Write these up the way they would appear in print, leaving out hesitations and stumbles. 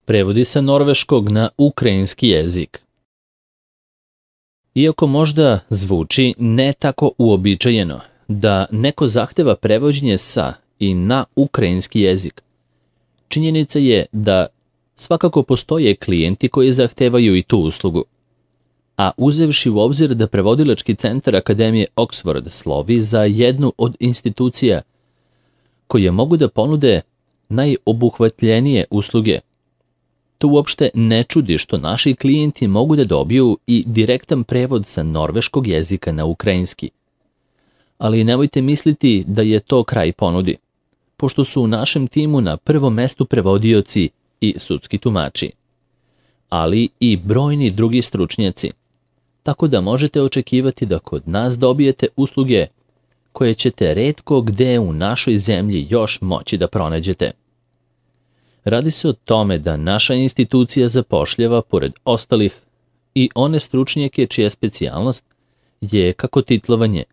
Prevodi sa norveškog na ukrajinski jezik. Iako možda zvuči ne tako uobičajeno da neko zahteva prevođenje sa i na ukrajinski jezik, činjenica je da svakako postoje klijenti koji zahtevaju i tu uslugu. A uzevši u obzir da prevodilački centar Akademije Oxford slovi za jednu od institucija koje mogu da ponude najobuhvatljenije usluge, to uopšte ne čudi što naši klijenti mogu da dobiju i direktan prevod sa norveškog jezika na ukrajinski. Ali nemojte misliti da je to kraj ponudi, pošto su u našem timu na prvom mestu prevodioci i sudski tumači, ali i brojni drugi stručnjaci, tako da možete očekivati da kod nas dobijete usluge koje ćete retko gde u našoj zemlji još moći da pronađete. Radi se o tome da naša institucija zapošljava, pored ostalih, i one stručnjake čija specijalnost je kako titlovanje,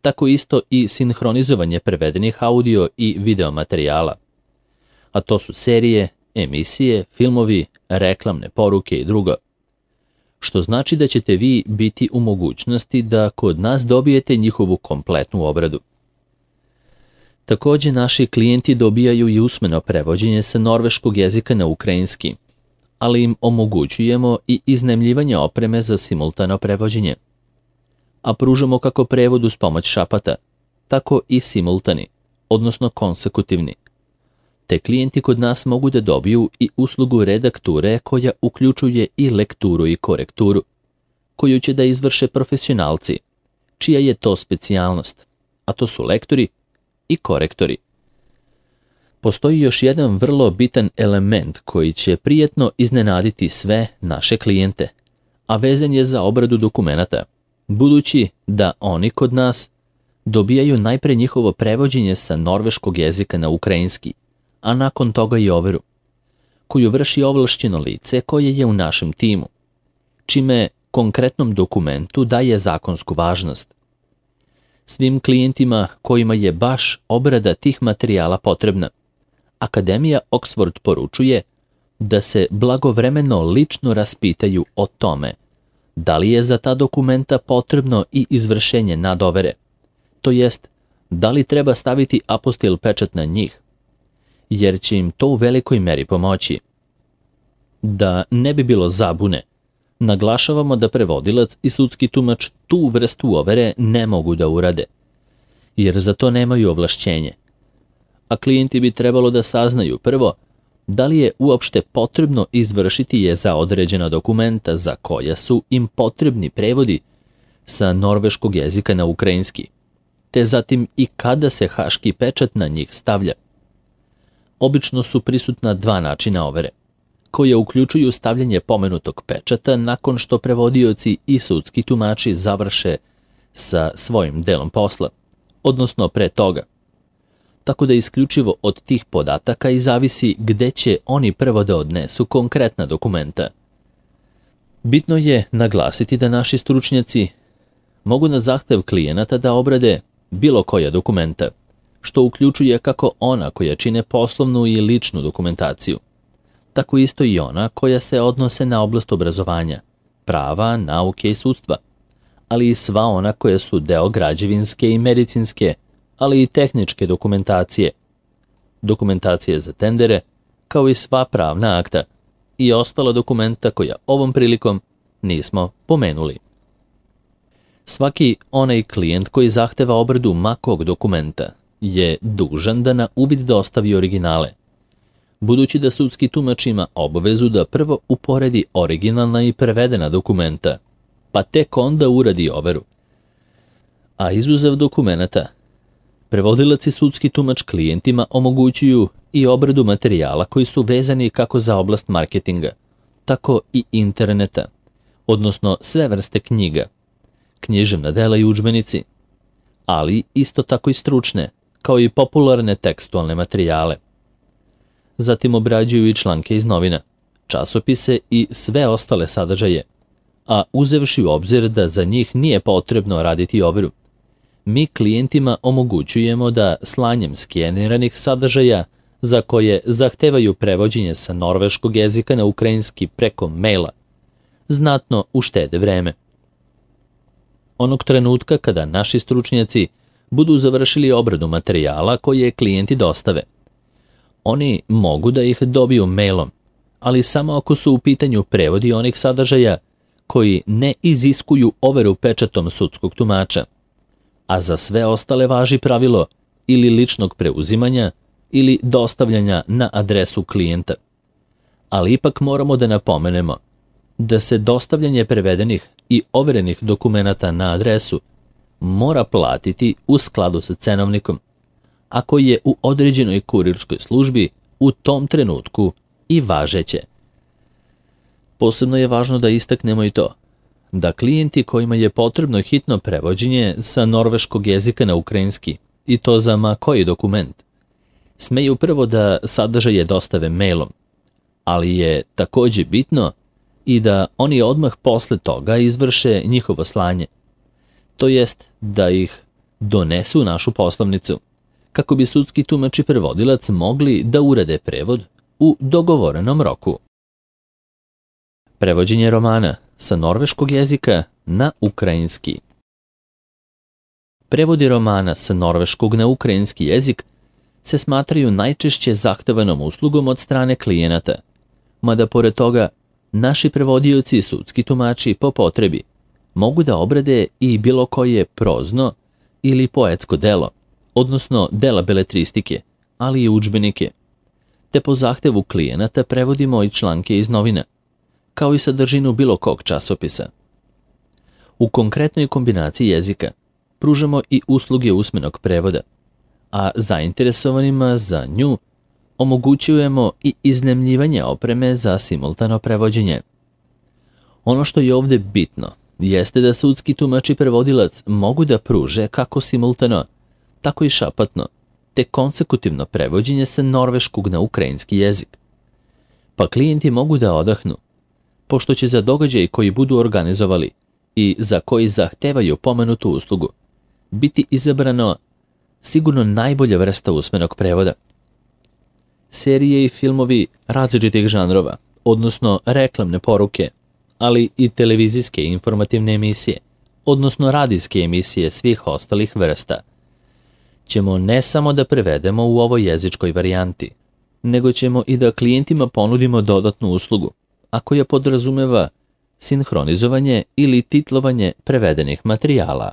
tako isto i sinhronizovanje prevedenih audio i video materijala. A to su serije, emisije, filmovi, reklamne poruke i drugo. Što znači da ćete vi biti u mogućnosti da kod nas dobijete njihovu kompletnu obradu. Takođe, naši klijenti dobijaju i usmeno prevođenje sa norveškog jezika na ukrajinski, ali im omogućujemo i iznajmljivanje opreme za simultano prevođenje. A pružamo kako prevod uz pomoć šapata, tako i simultani, odnosno konsekutivni. Te klijenti kod nas mogu da dobiju i uslugu redakture koja uključuje i lekturu i korekturu, koju će da izvrše profesionalci, čija je to specijalnost, a to su lektori i korektori. Postoji još jedan vrlo bitan element koji će prijatno iznenaditi sve naše klijente, a vezan je za obradu dokumenata, budući da oni kod nas dobijaju najpre njihovo prevođenje sa norveškog jezika na ukrajinski, a nakon toga i overu, koju vrši ovlašćeno lice koje je u našem timu, čime konkretnom dokumentu daje zakonsku važnost. Svim klijentima kojima je baš obrada tih materijala potrebna, Akademija Oxford poručuje da se blagovremeno lično raspitaju o tome da li je za ta dokumenta potrebno i izvršenje nadovere, to jest da li treba staviti apostil pečat na njih, jer će im to u velikoj meri pomoći. Da ne bi bilo zabune, naglašavamo da prevodilac i sudski tumač tu vrstu overe ne mogu da urade, jer za to nemaju ovlašćenje. A klijenti bi trebalo da saznaju prvo da li je uopšte potrebno izvršiti je za određena dokumenta za koja su im potrebni prevodi sa norveškog jezika na ukrajinski, te zatim i kada se haški pečat na njih stavlja. Obično su prisutna dva načina overe, koje uključuju stavljanje pomenutog pečata nakon što prevodioci i sudski tumači završe sa svojim delom posla, odnosno pre toga. Tako da isključivo od tih podataka i zavisi gde će oni prvo da odnesu konkretna dokumenta. Bitno je naglasiti da naši stručnjaci mogu na zahtev klijenata da obrade bilo koja dokumenta, što uključuje kako ona koja čine poslovnu i ličnu dokumentaciju, tako isto i ona koja se odnose na oblast obrazovanja, prava, nauke i sudstva, ali i sva ona koja su deo građevinske i medicinske, ali i tehničke dokumentacije za tendere, kao i sva pravna akta i ostala dokumenta koja ovom prilikom nismo pomenuli. Svaki onaj klijent koji zahteva obradu makog dokumenta je dužan da na uvid dostavi originale, budući da sudski tumač ima obavezu da prvo uporedi originalna i prevedena dokumenta, pa tek onda uradi overu. A izuzev dokumenata, prevodilac i sudski tumač klijentima omogućuju i obradu materijala koji su vezani kako za oblast marketinga, tako i interneta, odnosno sve vrste knjiga, književna dela i udžbenici, ali isto tako i stručne, kao i popularne tekstualne materijale. Zatim obrađuju i članke iz novina, časopise i sve ostale sadržaje, a uzevši u obzir da za njih nije potrebno raditi overu, mi klijentima omogućujemo da slanjem skeniranih sadržaja za koje zahtevaju prevođenje sa norveškog jezika na ukrajinski preko maila, znatno uštede vreme. Onog trenutka kada naši stručnjaci budu završili obradu materijala koje klijenti dostave, oni mogu da ih dobiju mailom, ali samo ako su u pitanju prevodi onih sadržaja koji ne iziskuju overu pečatom sudskog tumača, a za sve ostale važi pravilo ili ličnog preuzimanja ili dostavljanja na adresu klijenta. Ali ipak moramo da napomenemo da se dostavljanje prevedenih i overenih dokumenata na adresu mora platiti u skladu sa cenovnikom, ako je u određenoj kurirskoj službi u tom trenutku i važeće. Posebno je važno da istaknemo i to, da klijenti kojima je potrebno hitno prevođenje sa norveškog jezika na ukrajinski, i to za ma koji dokument, smeju prvo da sadržaje dostave mailom, ali je takođe bitno i da oni odmah posle toga izvrše njihovo slanje, to jest da ih donesu u našu poslovnicu, kako bi sudski tumač i prevodilac mogli da urade prevod u dogovorenom roku. Prevođenje romana sa norveškog jezika na ukrajinski. Prevodi romana sa norveškog na ukrajinski jezik se smatraju najčešće zahtevanom uslugom od strane klijenata, mada pored toga naši prevodioci i sudski tumači po potrebi mogu da obrade i bilo koje prozno ili poetsko delo, odnosno dela beletristike, ali i udžbenike, te po zahtevu klijenata prevodimo i članke iz novina, kao i sadržinu bilo kog časopisa. U konkretnoj kombinaciji jezika pružamo i usluge usmenog prevoda, a zainteresovanima za nju omogućujemo i iznajmljivanje opreme za simultano prevođenje. Ono što je ovdje bitno jeste da sudski tumač i prevodilac mogu da pruže kako simultano, tako i šapatno, te konsekutivno prevođenje sa norveškog na ukrajinski jezik. Pa klijenti mogu da odahnu, pošto će za događaj koji budu organizovali i za koji zahtevaju pomenutu uslugu biti izabrano sigurno najbolja vrsta usmenog prevoda. Serije i filmovi različitih žanrova, odnosno reklamne poruke, ali i televizijske i informativne emisije, odnosno radijske emisije svih ostalih vrsta, ćemo ne samo da prevedemo u ovoj jezičkoj varijanti, nego ćemo i da klijentima ponudimo dodatnu uslugu, a koja podrazumeva sinhronizovanje ili titlovanje prevedenih materijala.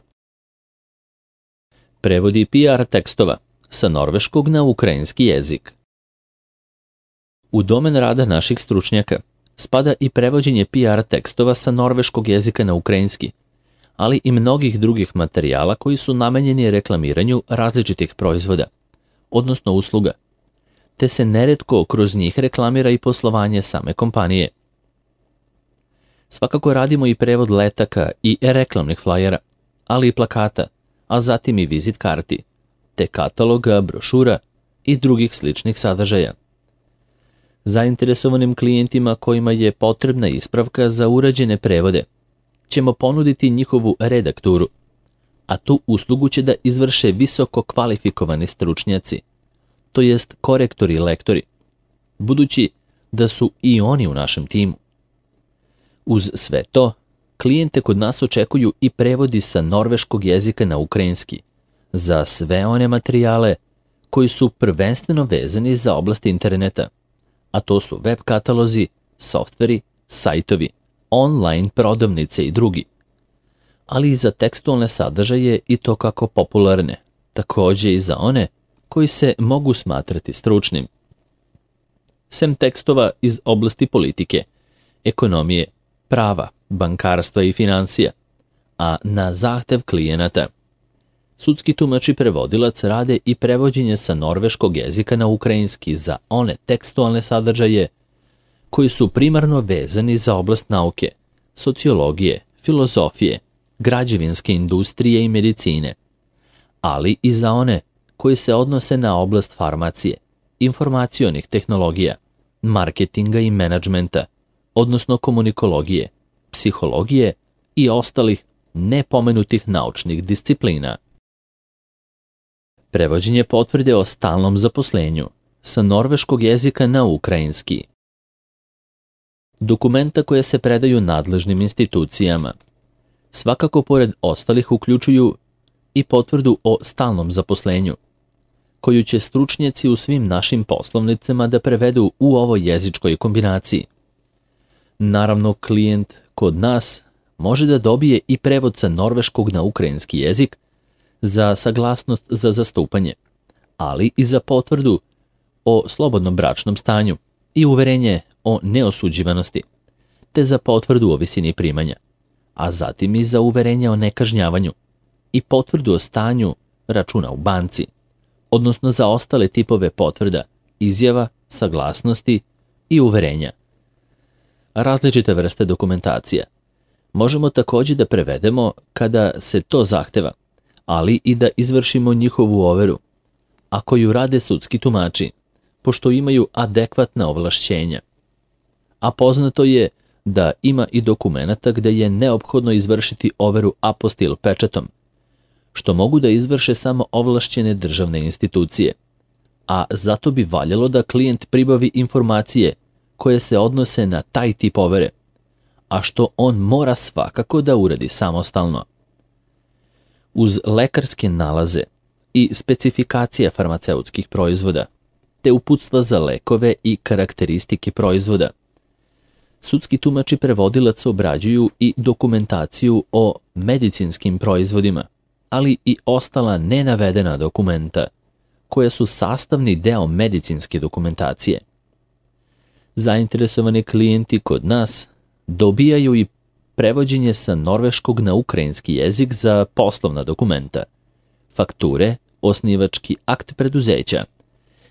Prevodi PR tekstova sa norveškog na ukrajinski jezik. U domen rada naših stručnjaka spada i prevođenje PR tekstova sa norveškog jezika na ukrajinski, ali i mnogih drugih materijala koji su namenjeni reklamiranju različitih proizvoda, odnosno usluga, te se neretko kroz njih reklamira i poslovanje same kompanije. Svakako radimo i prevod letaka i reklamnih flajera, ali i plakata, a zatim i vizit karti, te kataloga, brošura i drugih sličnih sadržaja. Zainteresovanim klijentima kojima je potrebna ispravka za urađene prevode ćemo ponuditi njihovu redakturu, a tu uslugu će da izvrše visoko kvalifikovani stručnjaci, to jest korektori i lektori, budući da su i oni u našem timu. Uz sve to, klijente kod nas očekuju i prevodi sa norveškog jezika na ukrajinski za sve one materijale koji su prvenstveno vezani za oblast interneta, a to su web katalozi, softveri, sajtovi, online prodavnice i drugi, ali i za tekstualne sadržaje i to kako popularne, takođe i za one koji se mogu smatrati stručnim. Sem tekstova iz oblasti politike, ekonomije, prava, bankarstva i financija, a na zahtev klijenata, sudski tumač i prevodilac rade i prevođenje sa norveškog jezika na ukrajinski za one tekstualne sadržaje koji su primarno vezani za oblast nauke, sociologije, filozofije, građevinske industrije i medicine, ali i za one koji se odnose na oblast farmacije, informacionih tehnologija, marketinga i menadžmenta, odnosno komunikologije, psihologije i ostalih nepomenutih naučnih disciplina. Prevođenje potvrde o stalnom zaposlenju, sa norveškog jezika na ukrajinski. Dokumenta koje se predaju nadležnim institucijama. Svakako pored ostalih uključuju i potvrdu o stalnom zaposlenju, koju će stručnjaci u svim našim poslovnicama da prevedu u ovoj jezičkoj kombinaciji. Naravno, klijent kod nas može da dobije i prevod sa norveškog na ukrajinski jezik za saglasnost za zastupanje, ali i za potvrdu o slobodnom bračnom stanju i uverenje o neosuđivanosti, te za potvrdu o visini primanja, a zatim i za uverenje o nekažnjavanju i potvrdu o stanju računa u banci, odnosno za ostale tipove potvrda, izjava, saglasnosti i uverenja. Različite vrste dokumentacija možemo također da prevedemo kada se to zahteva, ali i da izvršimo njihovu overu, a koju rade sudski tumači, pošto imaju adekvatna ovlašćenja. A poznato je da ima i dokumenata gde je neophodno izvršiti overu apostil pečatom, što mogu da izvrše samo ovlašćene državne institucije, a zato bi valjalo da klijent pribavi informacije koje se odnose na taj tip overe, a što on mora svakako da uradi samostalno. Uz lekarske nalaze i specifikacije farmaceutskih proizvoda, te uputstva za lekove i karakteristike proizvoda, sudski tumač i prevodilac obrađuju i dokumentaciju o medicinskim proizvodima, ali i ostala nenavedena dokumenta, koja su sastavni deo medicinske dokumentacije. Zainteresovani klijenti kod nas dobijaju i prevođenje sa norveškog na ukrajinski jezik za poslovna dokumenta, fakture, osnivački akt preduzeća,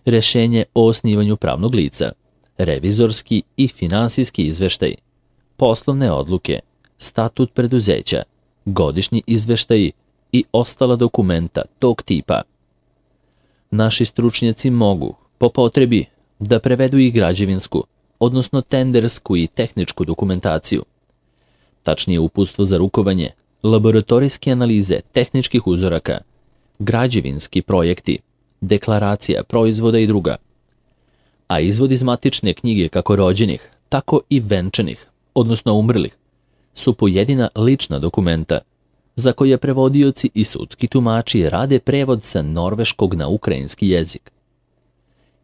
rešenje o osnivanju pravnog lica, revizorski i finansijski izveštaj, poslovne odluke, statut preduzeća, godišnji izveštaji i ostala dokumenta tog tipa. Naši stručnjaci mogu, po potrebi, da prevedu i građevinsku, odnosno tendersku i tehničku dokumentaciju, tačnije uputstvo za rukovanje, laboratorijske analize tehničkih uzoraka, građevinski projekti, deklaracija proizvoda i druga, a izvod iz matične knjige kako rođenih, tako i venčanih, odnosno umrlih, su pojedina lična dokumenta, za koje prevodioci i sudski tumači rade prevod sa norveškog na ukrajinski jezik.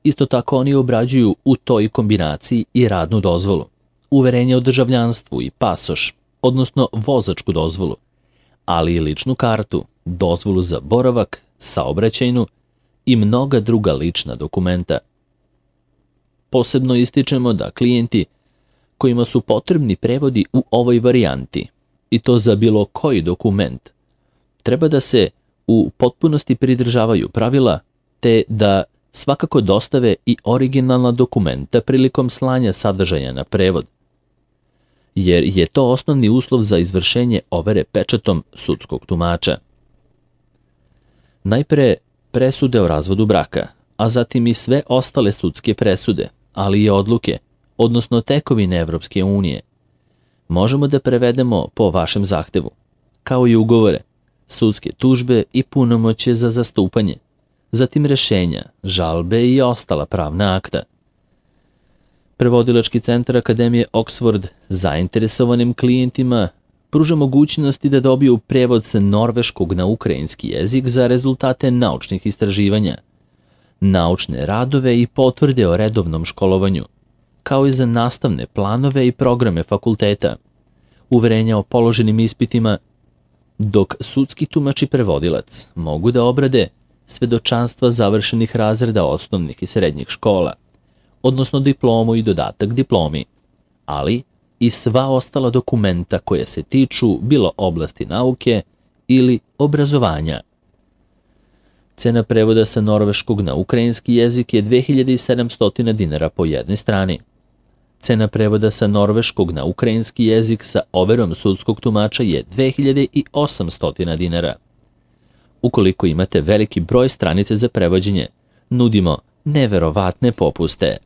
Isto tako oni obrađuju u toj kombinaciji i radnu dozvolu, uverenje o državljanstvu i pasoš, odnosno vozačku dozvolu, ali i ličnu kartu, dozvolu za boravak, saobraćajnu i mnoga druga lična dokumenta. Posebno ističemo da klijenti kojima su potrebni prevodi u ovoj varijanti, i to za bilo koji dokument, treba da se u potpunosti pridržavaju pravila, te da svakako dostave i originalna dokumenta prilikom slanja sadržaja na prevod, jer je to osnovni uslov za izvršenje overe pečatom sudskog tumača. Najpre presude o razvodu braka, a zatim i sve ostale sudske presude, ali i odluke, odnosno tekovine Evropske unije, možemo da prevedemo po vašem zahtevu, kao i ugovore, sudske tužbe i punomoćje za zastupanje, zatim rešenja, žalbe i ostala pravna akta. Prevodilački centar Akademije Oxford zainteresovanim klijentima pruža mogućnosti da dobiju prevod sa norveškog na ukrajinski jezik za rezultate naučnih istraživanja, naučne radove i potvrde o redovnom školovanju, kao i za nastavne planove i programe fakulteta, uverenja o položenim ispitima, dok sudski tumač i prevodilac mogu da obrade svedočanstva završenih razreda osnovnih i srednjih škola, odnosno diplomu i dodatak diplomi, ali i sva ostala dokumenta koje se tiču bilo oblasti nauke ili obrazovanja. Cena prevoda sa norveškog na ukrajinski jezik je 2700 dinara po jednoj strani. Cena prevoda sa norveškog na ukrajinski jezik sa overom sudskog tumača je 2800 dinara. Ukoliko imate veliki broj stranice za prevođenje, nudimo neverovatne popuste.